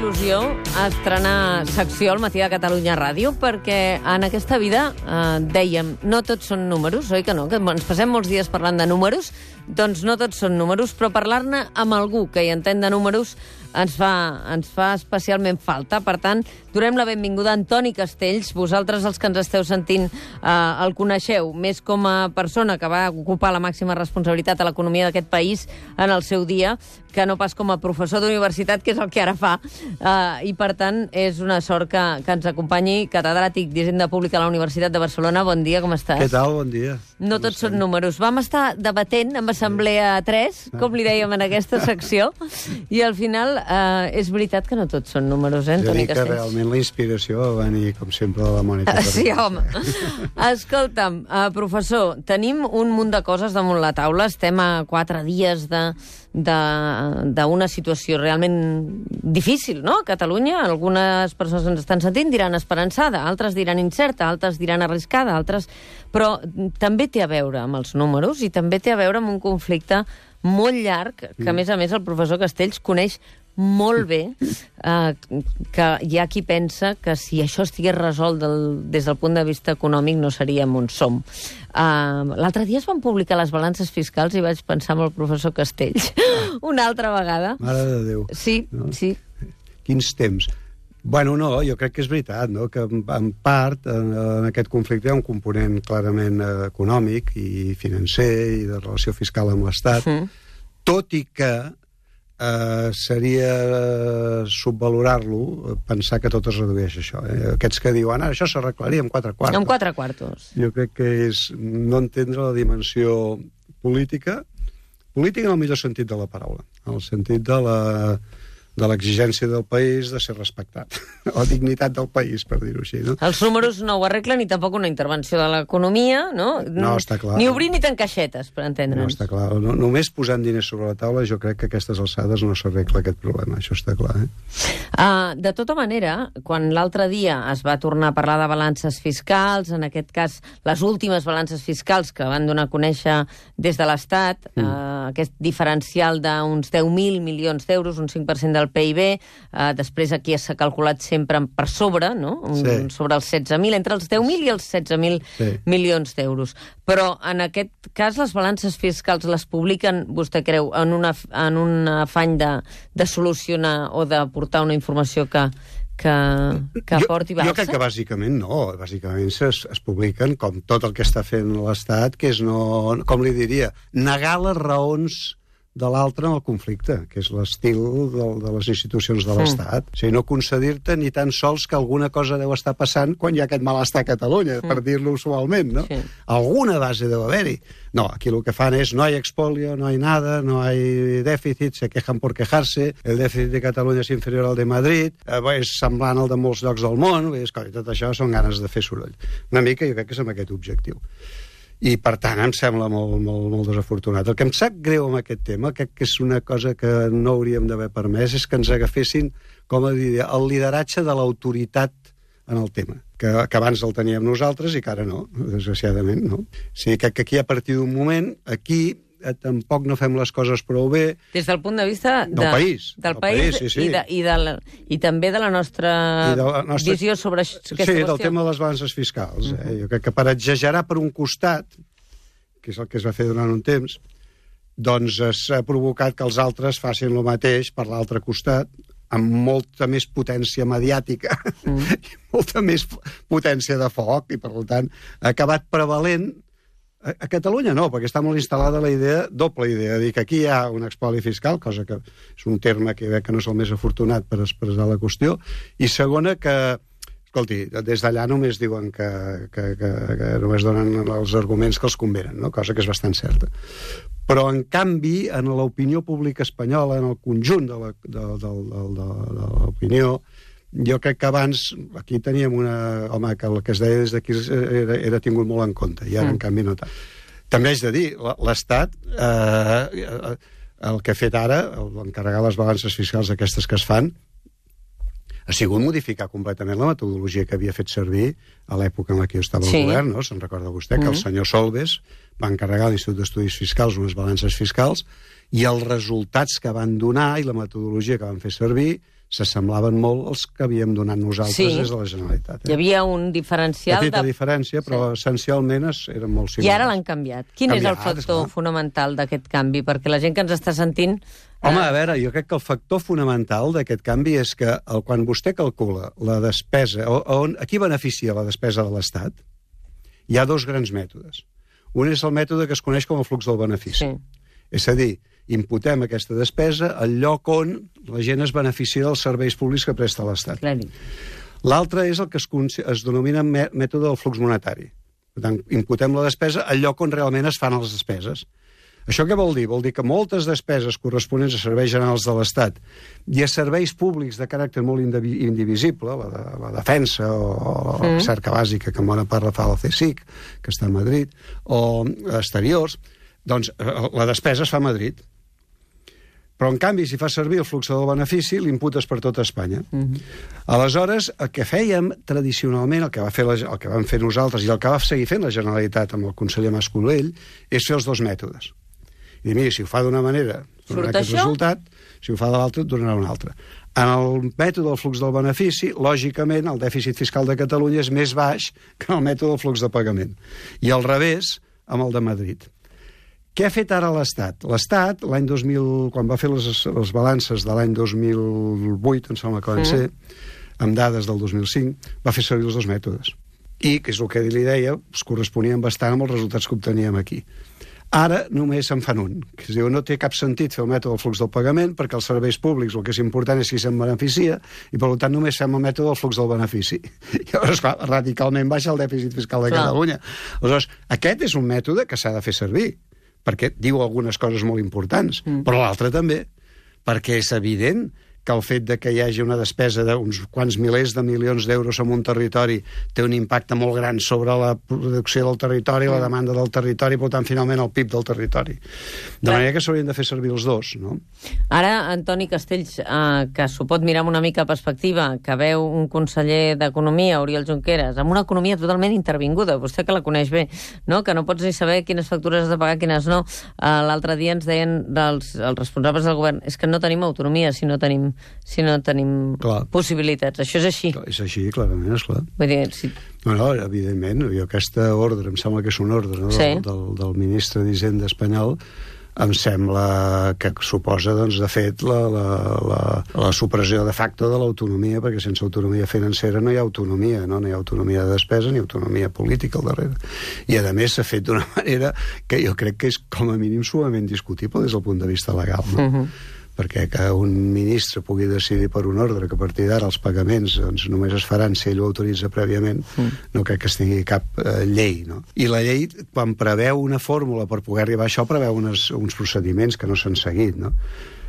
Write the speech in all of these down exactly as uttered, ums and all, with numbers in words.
il·lusió estrenar secció al Matí de Catalunya Ràdio, perquè en aquesta vida eh, dèiem, no tots són números, oi que no? Que ens passem molts dies parlant de números, doncs no tots són números, però parlar-ne amb algú que hi entén de números ens fa, ens fa especialment falta. Per tant, donem la benvinguda a Antoni Castells. Vosaltres, els que ens esteu sentint, eh, el coneixeu més com a persona que va ocupar la màxima responsabilitat a l'economia d'aquest país en el seu dia, que no pas com a professor d'universitat, que és el que ara fa. Eh, I, per tant, és una sort que, que ens acompanyi, catedràtic d'Hisenda Pública a la Universitat de Barcelona. Bon dia, com estàs? Què tal? Bon dia. No com tots estem? Són números. Vam estar debatent amb Assemblea tres, com li dèiem en aquesta secció, i al final eh, és veritat que no tots són números, eh, Antoni Castells? Jo dic que realment la inspiració va venir, com sempre, de la Mònica. Uh, sí, home. Escolta'm, uh, professor, tenim un munt de coses damunt la taula. Estem a quatre dies de d'una situació realment difícil, no? A Catalunya, algunes persones ens estan sentint, diran esperançada, altres diran incerta, altres diran arriscada, altres... Però també té a veure amb els números i també té a veure amb un conflicte molt llarg, que a més a més el professor Castells coneix molt bé, eh, que hi ha qui pensa que si això estigués resolt del, des del punt de vista econòmic no seríem on som. Uh, L'altre dia es van publicar les balances fiscals i vaig pensar en el professor Castells una altra vegada. Mare de Déu. Sí, no? Sí. Quins temps. Bueno, no, jo crec que és veritat, no? Que en part en, en aquest conflicte hi ha un component clarament eh, econòmic i financer i de relació fiscal amb l'Estat, mm. tot i que Uh, seria uh, subvalorar-lo, pensar que tot es redueix a això. Eh? Aquests que diuen, ara això s'arreglaria amb quatre quartos. Amb quatre quartos. Jo crec que és no entendre la dimensió política, política en el millor sentit de la paraula, en el sentit de la de l'exigència del país de ser respectat, o dignitat del país, per dir-ho així. No? Els números no ho arreglen, ni tampoc una intervenció de l'economia, no? No, està clar. Ni obrir ni tancar caixetes, per entendre'ns. No, està clar. No, només posant diners sobre la taula, jo crec que a aquestes alçades no s'arregla aquest problema, això està clar. Eh? Uh, de tota manera, quan l'altre dia es va tornar a parlar de balances fiscals, en aquest cas, les últimes balances fiscals que van donar a conèixer des de l'Estat, mm. uh, aquest diferencial d'uns deu mil milions d'euros, un cinc per cent del P I B, eh, després aquí s'ha calculat sempre per sobre, no? Un, sí. Sobre els setze mil, entre els deu mil i els setze mil sí. milions d'euros. Però en aquest cas les balances fiscals les publiquen, vostè creu, en, una, en un afany de, de solucionar o de portar una informació que, que, que aporti Barça? Jo crec que bàsicament no. Bàsicament es, es publiquen com tot el que està fent l'Estat, que és, no, com li diria, negar les raons de l'altre en el conflicte, que és l'estil de, de les institucions de l'Estat. Mm. O sigui, no concedir-te ni tan sols que alguna cosa deu estar passant quan hi ha aquest malestar a Catalunya, mm. per dir-lo usualment, no? Sí. Alguna base deu haver-hi. No, aquí el que fan és no hay expolio, no hay nada, no hay déficit, se quejan por quejarse, el dèficit de Catalunya és inferior al de Madrid, eh, és semblant al de molts llocs del món, és, tot això són ganes de fer soroll. Una mica jo crec que és amb aquest objectiu. I, per tant, em sembla molt, molt, molt desafortunat. El que em sap greu amb aquest tema, crec que és una cosa que no hauríem d'haver permès, és que ens agafessin, com a dir, el lideratge de l'autoritat en el tema, que, que abans el teníem nosaltres i que ara no, desgraciadament, no? O sigui, que, que aquí, a partir d'un moment, aquí eh, tampoc no fem les coses prou bé. Des del punt de vista de, del país. Del, del país, país sí, sí. I, de, i, de la, i també de la nostra, de la nostra visió sobre aquesta sí, qüestió. Sí, del tema de les balances fiscals. Eh? Uh-huh. Jo crec que per exagerar per un costat, que és el que es va fer durant un temps, doncs s'ha provocat que els altres facin el mateix per l'altre costat, amb molta més potència mediàtica mm. i molta més potència de foc, i per tant ha acabat prevalent. A, a Catalunya no, perquè està molt instal·lada la idea, doble idea, de dir que aquí hi ha un expoli fiscal, cosa que és un terme que crec que no és el més afortunat per expressar la qüestió, i segona que escolti, des d'allà només diuen que, que, que, que només donen els arguments que els convenen, no? Cosa que és bastant certa. Però, en canvi, en l'opinió pública espanyola, en el conjunt de la, de, de, de, de, de l'opinió, jo crec que abans aquí teníem una... Home, que el que es deia des d'aquí era, era tingut molt en compte, i ara, mm. en canvi, no tant. També haig de dir, l'Estat, eh, el que ha fet ara, l'encarregar les balances fiscals aquestes que es fan, ha sigut modificar completament la metodologia que havia fet servir a l'època en la que jo estava sí. al govern, no? Se'n recorda vostè, que mm-hmm. el senyor Solbes va encarregar a l'Institut d'Estudis Fiscals unes balances fiscals i els resultats que van donar i la metodologia que van fer servir s'assemblaven molt als que havíem donat nosaltres Sí. des de la Generalitat. Hi havia un diferencial... Petita de... diferència, però Sí. essencialment es- eren molt similars. I ara l'han canviat. Quin és el Canviat, factor esclar. fonamental d'aquest canvi? Perquè la gent que ens està sentint... Home, eh, a veure, jo crec que el factor fonamental d'aquest canvi és que el, quan vostè calcula la despesa, o, on, a qui beneficia la despesa de l'Estat, hi ha dos grans mètodes. Un és el mètode que es coneix com el flux del benefici. Sí. És a dir, imputem aquesta despesa al lloc on la gent es beneficia dels serveis públics que presta l'Estat. Clarín. L'altre és el que es, es denomina mè- mètode del flux monetari. Per tant, imputem la despesa al lloc on realment es fan les despeses. Això què vol dir? Vol dir que moltes despeses corresponents a serveis generals de l'Estat i a serveis públics de caràcter molt indivi indivisible, la, de, la defensa o, o la cerca bàsica, que en bona part la fa el C S I C, que està a Madrid, o exteriors, doncs la despesa es fa a Madrid. Però, en canvi, si fa servir el flux del benefici, l'imputes per tota Espanya. Mm-hmm. Aleshores, el que fèiem tradicionalment, el que, va fer la, el que vam fer nosaltres i el que va seguir fent la Generalitat amb el conseller Mas-Colell, és fer els dos mètodes. I dir, mira, si ho fa d'una manera, donarà aquest això? resultat, si ho fa de l'altra, donarà un altre. En el mètode del flux del benefici, lògicament, el dèficit fiscal de Catalunya és més baix que el mètode del flux de pagament. I al revés, amb el de Madrid. Què ha fet ara l'Estat? L'Estat, l'any dos mil, quan va fer les, les balances de l'any dos mil vuit, em sembla que van Mm. ser, amb dades del dos mil cinc, va fer servir els dos mètodes. I, que és el que li deia, es corresponien bastant amb els resultats que obteníem aquí. Ara només se'n fan un, que es diu no té cap sentit fer el mètode del flux del pagament perquè els serveis públics el que és important és qui se'n beneficia i per tant només fem el mètode del flux del benefici. I llavors, clar, radicalment baixa el dèficit fiscal de Clar. Catalunya. Aleshores, aquest és un mètode que s'ha de fer servir perquè diu algunes coses molt importants, mm. però l'altre també, perquè és evident que el fet de que hi hagi una despesa d'uns quants milers de milions d'euros en un territori té un impacte molt gran sobre la producció del territori, mm. la demanda del territori, per tant, finalment, el P I B del territori. De manera que s'haurien de fer servir els dos, no? Ara, Antoni Castells, eh, que s'ho pot mirar amb una mica de perspectiva, que veu un conseller d'Economia, Oriol Junqueras, amb una economia totalment intervinguda, vostè que la coneix bé, no? Que no pots ni saber quines factures has de pagar, quines no. Eh, L'altre dia ens deien dels, els responsables del govern és que no tenim autonomia si no tenim, si no tenim Clar. possibilitats. Això és així. És així, clarament, esclar. Vull dir, si... No, no, evidentment, jo aquesta ordre, em sembla que és una ordre, no? Sí. del, del, del ministre d'Hisenda espanyol, em sembla que suposa, doncs, de fet, la, la, la, la supressió de facto de l'autonomia, perquè sense autonomia financera no hi ha autonomia, no? No hi ha autonomia de despesa ni autonomia política al darrere. I, a més, s'ha fet d'una manera que jo crec que és, com a mínim, summament discutible des del punt de vista legal, no? Uh-huh. Perquè que un ministre pugui decidir per un ordre que a partir d'ara els pagaments doncs, només es faran si ell ho autoritza prèviament, mm. no crec que es tingui cap eh, llei, no? I la llei, quan preveu una fórmula per poder arribar a això, preveu unes, uns procediments que no s'han seguit, no?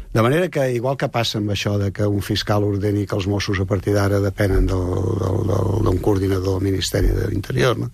De manera que, igual que passa amb això de que un fiscal ordeni que els Mossos a partir d'ara depenen d'un coordinador del Ministeri de l'Interior, no?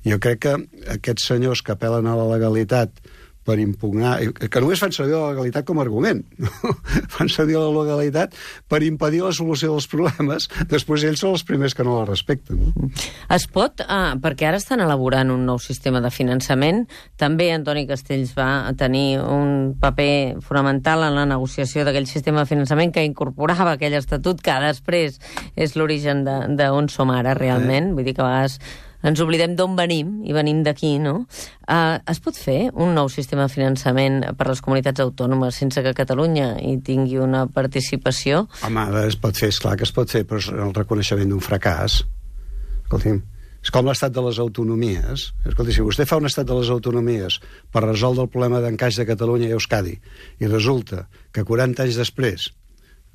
Jo crec que aquests senyors que apel·len a la legalitat per impugnar, que només fan servir la legalitat com a argument, no? Fan servir la legalitat per impedir la solució dels problemes, després ells són els primers que no la respecten. No? Es pot, ah, perquè ara estan elaborant un nou sistema de finançament, també Antoni Castells va tenir un paper fonamental en la negociació d'aquell sistema de finançament que incorporava aquell estatut que després és l'origen d'on som ara realment, eh. vull dir que a vegades ens oblidem d'on venim, i venim d'aquí, no? Uh, es pot fer un nou sistema de finançament per a les comunitats autònomes sense que Catalunya hi tingui una participació? Home, es pot fer, esclar que es pot fer, però és el reconeixement d'un fracàs. Escolti'm, és com l'estat de les autonomies. Escolti, si vostè fa un estat de les autonomies per resoldre el problema d'encaix de Catalunya i Euskadi, i resulta que quaranta anys després,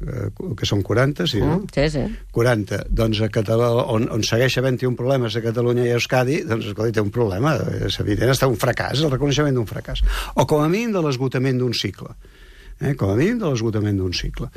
eh, que són quaranta, sí, no? Mm, sí, sí. quaranta, doncs a Catalunya, on, on segueix havent-hi un problema a Catalunya i a Euskadi, doncs escolta, té un problema, és evident, està un fracàs, el reconeixement d'un fracàs. O com a mínim de l'esgotament d'un cicle. Eh, com a mínim de l'esgotament d'un cicle.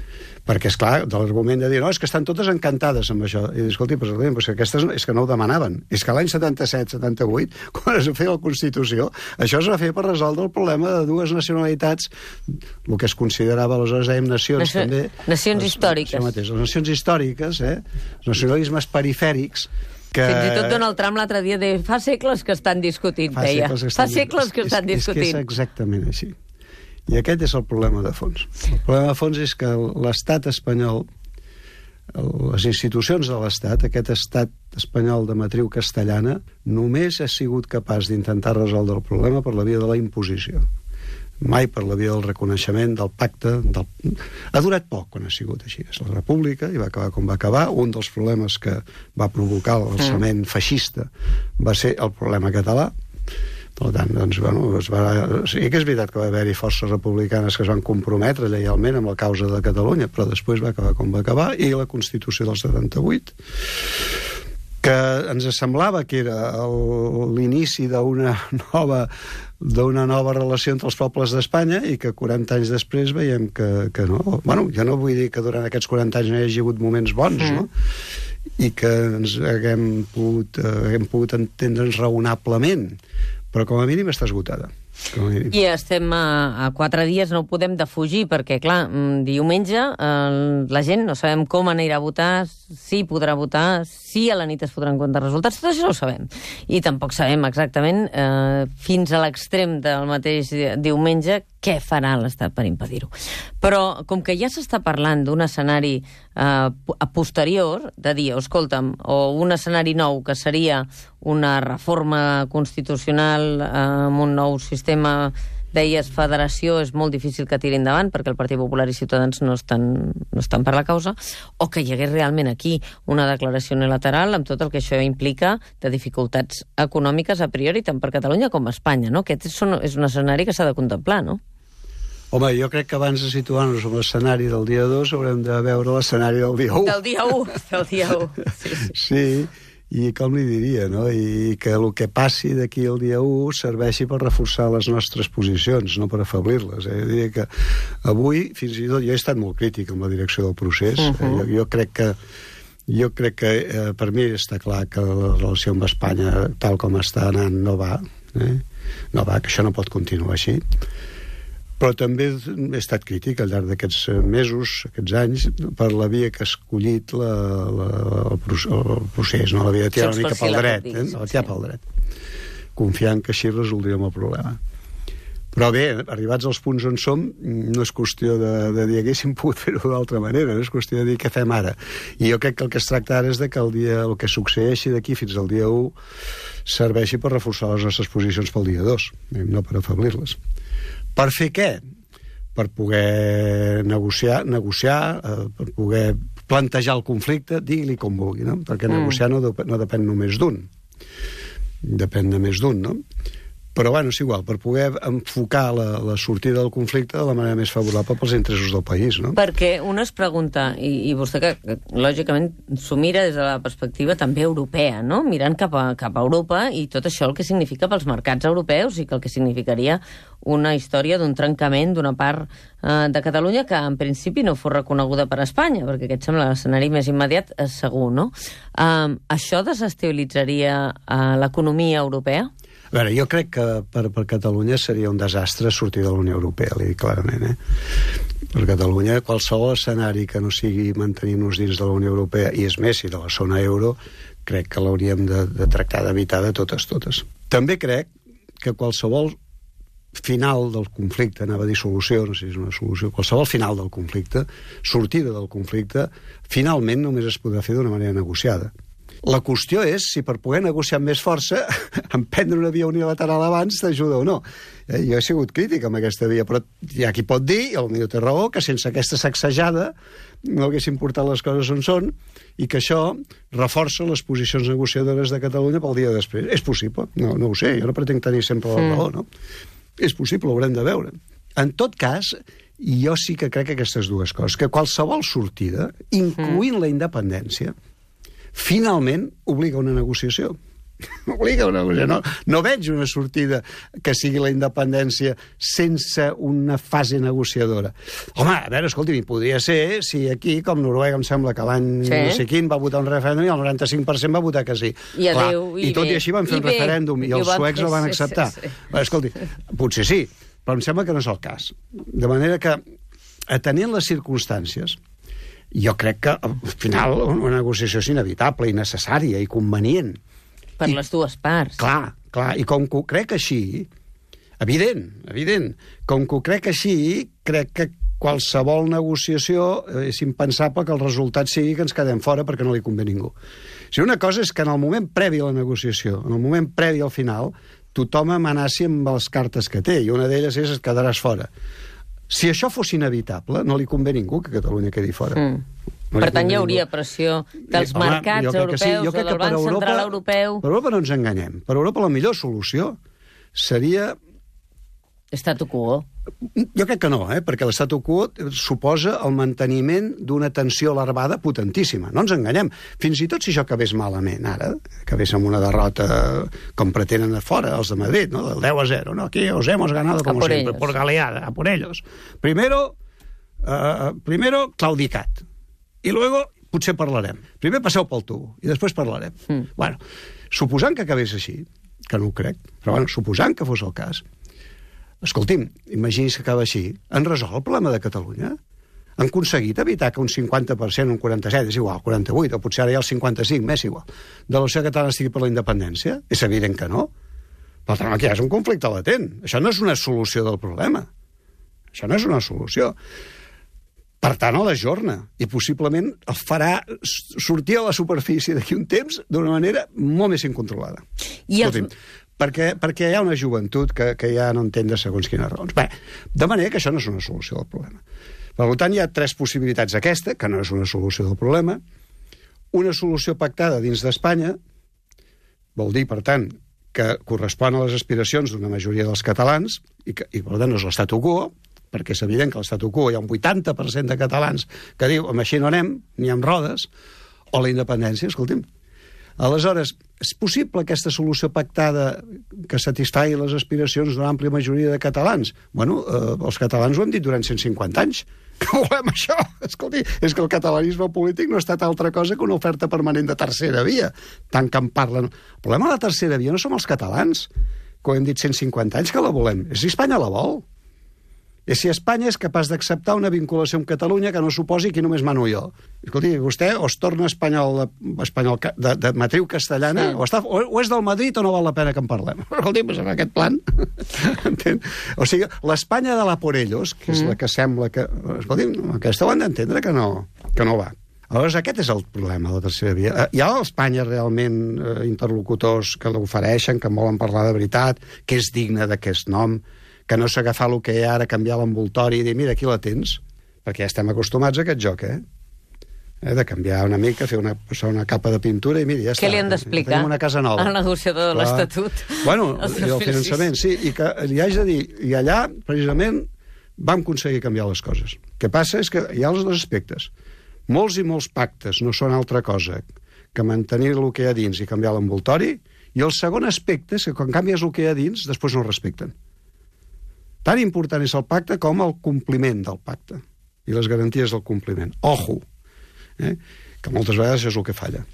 Perquè, és clar, de l'argument de dir, no, és que estan totes encantades amb això. I dir, escolti, però, però és que aquestes és que no ho demanaven. És que l'any setanta-set setanta-vuit, quan es va fer la Constitució, això es va fer per resoldre el problema de dues nacionalitats, el que es considerava, aleshores dèiem nacions, Nació, també. Nacions les, històriques. Mateix, les nacions històriques, eh? Els nacionalismes perifèrics, que... Fins i tot Donald Trump l'altre dia deia fa segles que estan discutint, fa deia. Segles que fa estan... segles que és, estan és, discutint. És que és exactament així. I aquest és el problema de fons. El problema de fons és que l'estat espanyol les institucions de l'Estat, aquest estat espanyol de matriu castellana, només ha sigut capaç d'intentar resoldre el problema per la via de la imposició. Mai per la via del reconeixement, del pacte... Del... Ha durat poc quan ha sigut així. És la república, i va acabar com va acabar. Un dels problemes que va provocar l'alçament feixista va ser el problema català. Per tant, doncs, bueno, es va... sí que és veritat que va haver-hi forces republicanes que es van comprometre lleialment amb la causa de Catalunya, però després va acabar com va acabar, i la Constitució del setanta-vuit, que ens semblava que era l'inici d'una nova d'una nova relació entre els pobles d'Espanya, i que quaranta anys després veiem que, que no. Bueno, jo no vull dir que durant aquests quaranta anys no hi hagi hagut moments bons, mm. no? I que ens haguem pogut, eh, haguem pogut entendre'ns raonablement, però com a mínim està esgotada. I estem a, a quatre dies, no ho podem defugir, perquè, clar, diumenge eh, la gent no sabem com anirà a votar, si podrà votar, si a la nit es podran comptar resultats, tot això no ho sabem. I tampoc sabem exactament, eh, fins a l'extrem del mateix diumenge, què farà l'Estat per impedir-ho. Però, com que ja s'està parlant d'un escenari eh, a posterior, de dir, escolta'm, o un escenari nou, que seria una reforma constitucional eh, amb un nou sistema, deies, federació, és molt difícil que tiri endavant perquè el Partit Popular i Ciutadans no estan, no estan per la causa, o que hi hagués realment aquí una declaració unilateral amb tot el que això implica de dificultats econòmiques a priori, tant per Catalunya com a Espanya, no? Aquest és un, és un escenari que s'ha de contemplar, no? Home, jo crec que abans de situar-nos en l'escenari del dia dos haurem de veure l'escenari del dia u. Del dia u, del dia u. Sí, sí. Sí, i com li diria, no? I que el que passi d'aquí al dia u serveixi per reforçar les nostres posicions, no per afeblir-les. Eh? Jo diria que avui, fins i tot, jo he estat molt crític amb la direcció del procés. Uh -huh. eh? jo, jo crec que jo crec que eh, per mi està clar que la relació amb Espanya, tal com està anant, no va. Eh? No va, que això no pot continuar així. Però també he estat crític al llarg d'aquests mesos, aquests anys, per la via que ha escollit la, la, el, el procés, no? La via de tirar una mica pel dret, eh? La tirar pel dret, confiant que així resoldríem el problema. Però bé, arribats als punts on som, no és qüestió de, de dir haguéssim pogut fer-ho d'altra manera, no és qüestió de dir què fem ara. I jo crec que el que es tracta ara és de que el, dia, el que succeeixi d'aquí fins al dia u serveixi per reforçar les nostres posicions pel dia dos, no per afeblir-les. Per fer què? Per poder negociar, negociar eh, per poder plantejar el conflicte, digui-li com vulgui, no? Perquè mm. negociar no, no depèn només d'un. Depèn de més d'un, no? Però, bueno, és igual, per poder enfocar la, la sortida del conflicte de la manera més favorable pels interessos del país, no? Perquè un es pregunta, i, i vostè que, que lògicament s'ho mira des de la perspectiva també europea, no? Mirant cap a, cap a Europa i tot això el que significa pels mercats europeus i que el que significaria una història d'un trencament d'una part eh, de Catalunya que en principi no fos reconeguda per Espanya, perquè aquest sembla l'escenari més immediat, eh, segur, no? Eh, això desestabilitzaria eh, l'economia europea? A veure, jo crec que per, per Catalunya seria un desastre sortir de la Unió Europea, li dic clarament, eh? Per Catalunya, qualsevol escenari que no sigui mantenir-nos dins de la Unió Europea, i és més, si de la zona euro, crec que l'hauríem de, de tractar d'evitar de totes, totes. També crec que qualsevol final del conflicte, anava a dir solució, no sé si és una solució, qualsevol final del conflicte, sortida del conflicte, finalment només es podrà fer d'una manera negociada. La qüestió és si per poder negociar amb més força emprendre una via unilateral abans t'ajuda o no. Eh, jo he sigut crític amb aquesta via, però hi ha qui pot dir, i potser té raó, que sense aquesta sacsejada no haguessin portat les coses on són i que això reforça les posicions negociadores de Catalunya pel dia després. És possible, no, no ho sé, jo no pretenc tenir sempre la raó, no? És possible, ho haurem de veure. En tot cas, jo sí que crec aquestes dues coses, que qualsevol sortida, incloent la independència, finalment obliga una negociació. Obliga una negociació. No, no veig una sortida que sigui la independència sense una fase negociadora. Home, a veure, escolti, podria ser si aquí, com Noruega, em sembla que l'any sí. no sé quin va votar un referèndum i el noranta-cinc per cent va votar que sí. I, adeu, Clar, i, i tot bé. I així van fer I un bé. referèndum i, I els suecs no van acceptar. Sí, sí, sí. Bé, escolti, potser sí, però em sembla que no és el cas. De manera que, atenent les circumstàncies, jo crec que, al final, una negociació és inevitable i necessària i convenient. Per I, les dues parts. Clar, clar, i com que ho crec així, evident, evident, com que ho crec així, crec que qualsevol negociació és impensable que el resultat sigui que ens quedem fora perquè no li convé a ningú. O sigui, una cosa és que en el moment previ a la negociació, en el moment previ al final, tothom amenaci amb les cartes que té, i una d'elles és et quedaràs fora. Si això fos inevitable, no li convé a ningú que Catalunya quedi fora. Mm. No per tant, hi hauria pressió dels Home, mercats europeus, sí. o del Banc Europa, Central Europeu... Per Europa no ens enganyem. Per Europa la millor solució seria... Statu quo. Jo crec que no, eh? perquè l'statu quo suposa el manteniment d'una tensió larvada potentíssima. No ens enganyem. Fins i tot si això acabés malament ara, acabés amb una derrota com pretenen a fora, els de Madrid, ¿no? del deu a zero. ¿no? Aquí os hemos ganado como siempre, por galeada, a por ellos. Primero, uh, primero claudicat. I luego potser parlarem. Primer passeu pel tubo i després parlarem. Mm. Bueno, suposant que acabés així, que no ho crec, però bueno, suposant que fos el cas, escolti'm, imagini's que acaba així, han resolt el problema de Catalunya? Han aconseguit evitar que un cinquanta per cent, un quaranta-set, és igual, quaranta-vuit, o potser ara ja el cinquanta-cinc, m'és igual, de la societat catalana estigui per la independència? És evident que no. Per tant, aquí és un conflicte latent. Això no és una solució del problema. Això no és una solució. Per tant, a l'ajorna, i possiblement el farà sortir a la superfície d'aquí un temps d'una manera molt més incontrolada. I Escolti'm, els... perquè, perquè hi ha una joventut que, que ja no entén de segons quines raons. Bé, de manera que això no és una solució del problema. Per tant, hi ha tres possibilitats. Aquesta, que no és una solució del problema, una solució pactada dins d'Espanya, vol dir, per tant, que correspon a les aspiracions d'una majoria dels catalans, i, que, i per tant no és l'statu quo, perquè és evident que a l'statu quo hi ha un vuitanta per cent de catalans que diu, amb així no anem, ni amb rodes, o la independència, escolti'm. Aleshores, és possible aquesta solució pactada que satisfagui les aspiracions d'una àmplia majoria de catalans? Bueno, eh, els catalans ho hem dit durant cent cinquanta anys, que volem això. Escolti, és que el catalanisme polític no ha estat altra cosa que una oferta permanent de tercera via, tant que en parlen. El problema de la tercera via no som els catalans, que ho hem dit cent cinquanta anys que la volem, és si Espanya la vol. És si Espanya és capaç d'acceptar una vinculació amb Catalunya que no suposi que només mano jo. Escolti, vostè o es torna espanyol, espanyol de, de matriu castellana, sí. o, està, o, o és del Madrid o no val la pena que en parlem. Escolti, doncs en aquest plan... o sigui, l'Espanya de la por ellos, que és mm. la que sembla que... Escolti, aquesta ho han d'entendre que no, que no va. Aleshores, aquest és el problema de la tercera via. Hi ha a Espanya realment eh, interlocutors que l'ofereixen, que volen parlar de veritat, que és digne d'aquest nom, que no s'agafar el que hi ha ara, canviar l'envoltori i dir, mira, aquí la tens, perquè ja estem acostumats a aquest joc, eh? eh de canviar una mica, fer una, posar una capa de pintura i mira, ja Què està. Què li han d'explicar una casa nova. al negociador de l'Estatut? Bueno, el finançament, sí, i que li haig de dir, i allà, precisament, vam aconseguir canviar les coses. El que passa és que hi ha els dos aspectes. Molts i molts pactes no són altra cosa que mantenir el que hi ha dins i canviar l'envoltori, i el segon aspecte és que quan canvies el que hi ha dins, després no respecten. Tan important és el pacte com el compliment del pacte i les garanties del compliment. Ojo! Eh? Que moltes vegades és el que falla.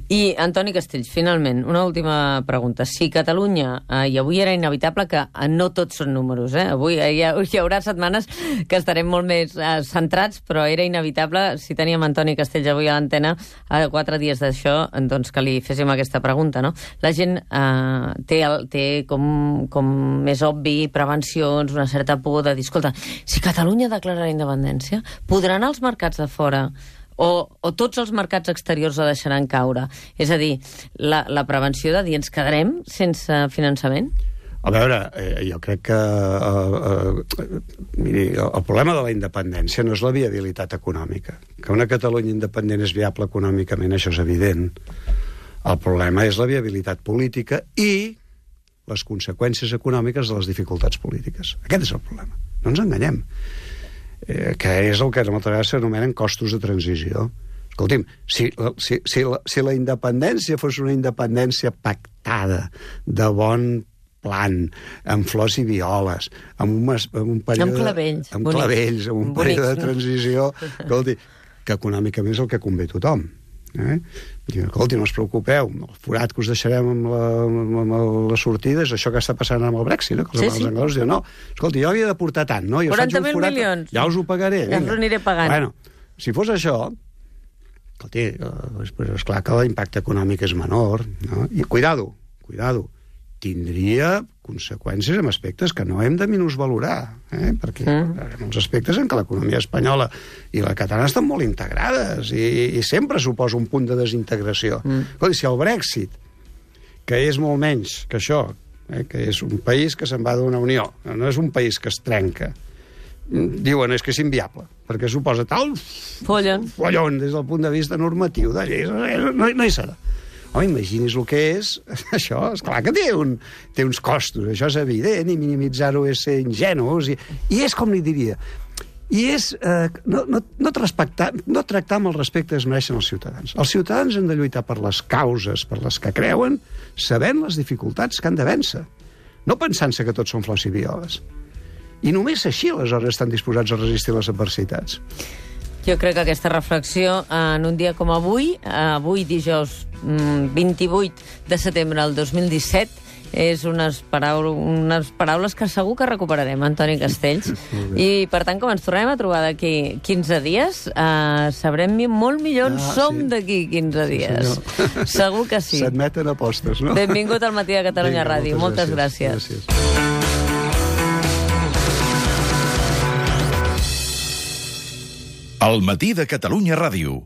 I, Antoni Castells, finalment, una última pregunta. Si Catalunya, eh, i avui era inevitable que eh, no tots són números, eh? avui eh, hi, ha, hi haurà setmanes que estarem molt més eh, centrats, però era inevitable, si teníem Antoni Castells avui a l'antena, a quatre dies d'això, doncs que li féssim aquesta pregunta, no? La gent eh, té, el, té com, com més obvi prevencions, una certa por de dir, escolta, si Catalunya declara la independència, podran els mercats de fora O, o tots els mercats exteriors la deixaran caure? És a dir, la, la prevenció de dir ens quedarem sense finançament? A veure, eh, jo crec que eh, eh, miri, el problema de la independència no és la viabilitat econòmica. Que una Catalunya independent és viable econòmicament, això és evident. El problema és la viabilitat política i les conseqüències econòmiques de les dificultats polítiques. Aquest és el problema. No ens enganyem. Eh, que és el que moltes vegades s'anomenen costos de transició. Escolti'm, si, si, si, la, si la independència fos una independència pactada, de bon plan, amb flors i violes, amb un, amb un període... Amb clavells. Amb bonics. clavells, amb un Bonics, període de no? transició... Escolti, que econòmicament és el que convé a tothom. Eh? Diu, escolti, no us preocupeu, el forat que us deixarem amb la, amb la sortida és això que està passant amb el Brexit, no? Que els, sí, sí. anglesos diuen, no, escolti, jo havia de portar tant, no? Jo quaranta mil milions. Ja us ho pagaré. Ja us ho aniré pagant. Bueno, si fos això, escolti, és, és clar que l'impacte econòmic és menor, no? I cuidado, cuidado, tindria conseqüències en aspectes que no hem de minusvalorar, eh? perquè mm. hi ha molts aspectes en què l'economia espanyola i la catalana estan molt integrades i, i sempre suposa un punt de desintegració. Mm. Escolta, si el Brexit, que és molt menys que això, eh? que és un país que se'n va d'una unió, no és un país que es trenca, diuen és que és inviable, perquè suposa tal follon, follon des del punt de vista normatiu de lleis, no, no hi serà. Home, imagini's el que és això, esclar que té, un, té uns costos, això és evident, i minimitzar-ho és ser ingenus, i, i és com li diria, i és eh, no, no, no, tractar, no tractar amb el respecte que es mereixen els ciutadans. Els ciutadans han de lluitar per les causes per les que creuen, sabent les dificultats que han de vèncer, no pensant-se que tots són flors i violes. I només així aleshores estan disposats a resistir les adversitats. Jo crec que aquesta reflexió, en un dia com avui, avui dijous vint-i-vuit de setembre del dos mil disset, és unes, paraules, unes paraules que segur que recuperarem, Antoni Castells. I, per tant, com ens tornem a trobar d'aquí quinze dies, eh, sabrem molt millor on ah, som sí. d'aquí quinze dies. Sí, segur que sí. S'admeten apostes, no? Benvingut al Matí de Catalunya Vinga, Ràdio. Moltes, moltes gràcies. gràcies. gràcies. El Matí de Catalunya Ràdio.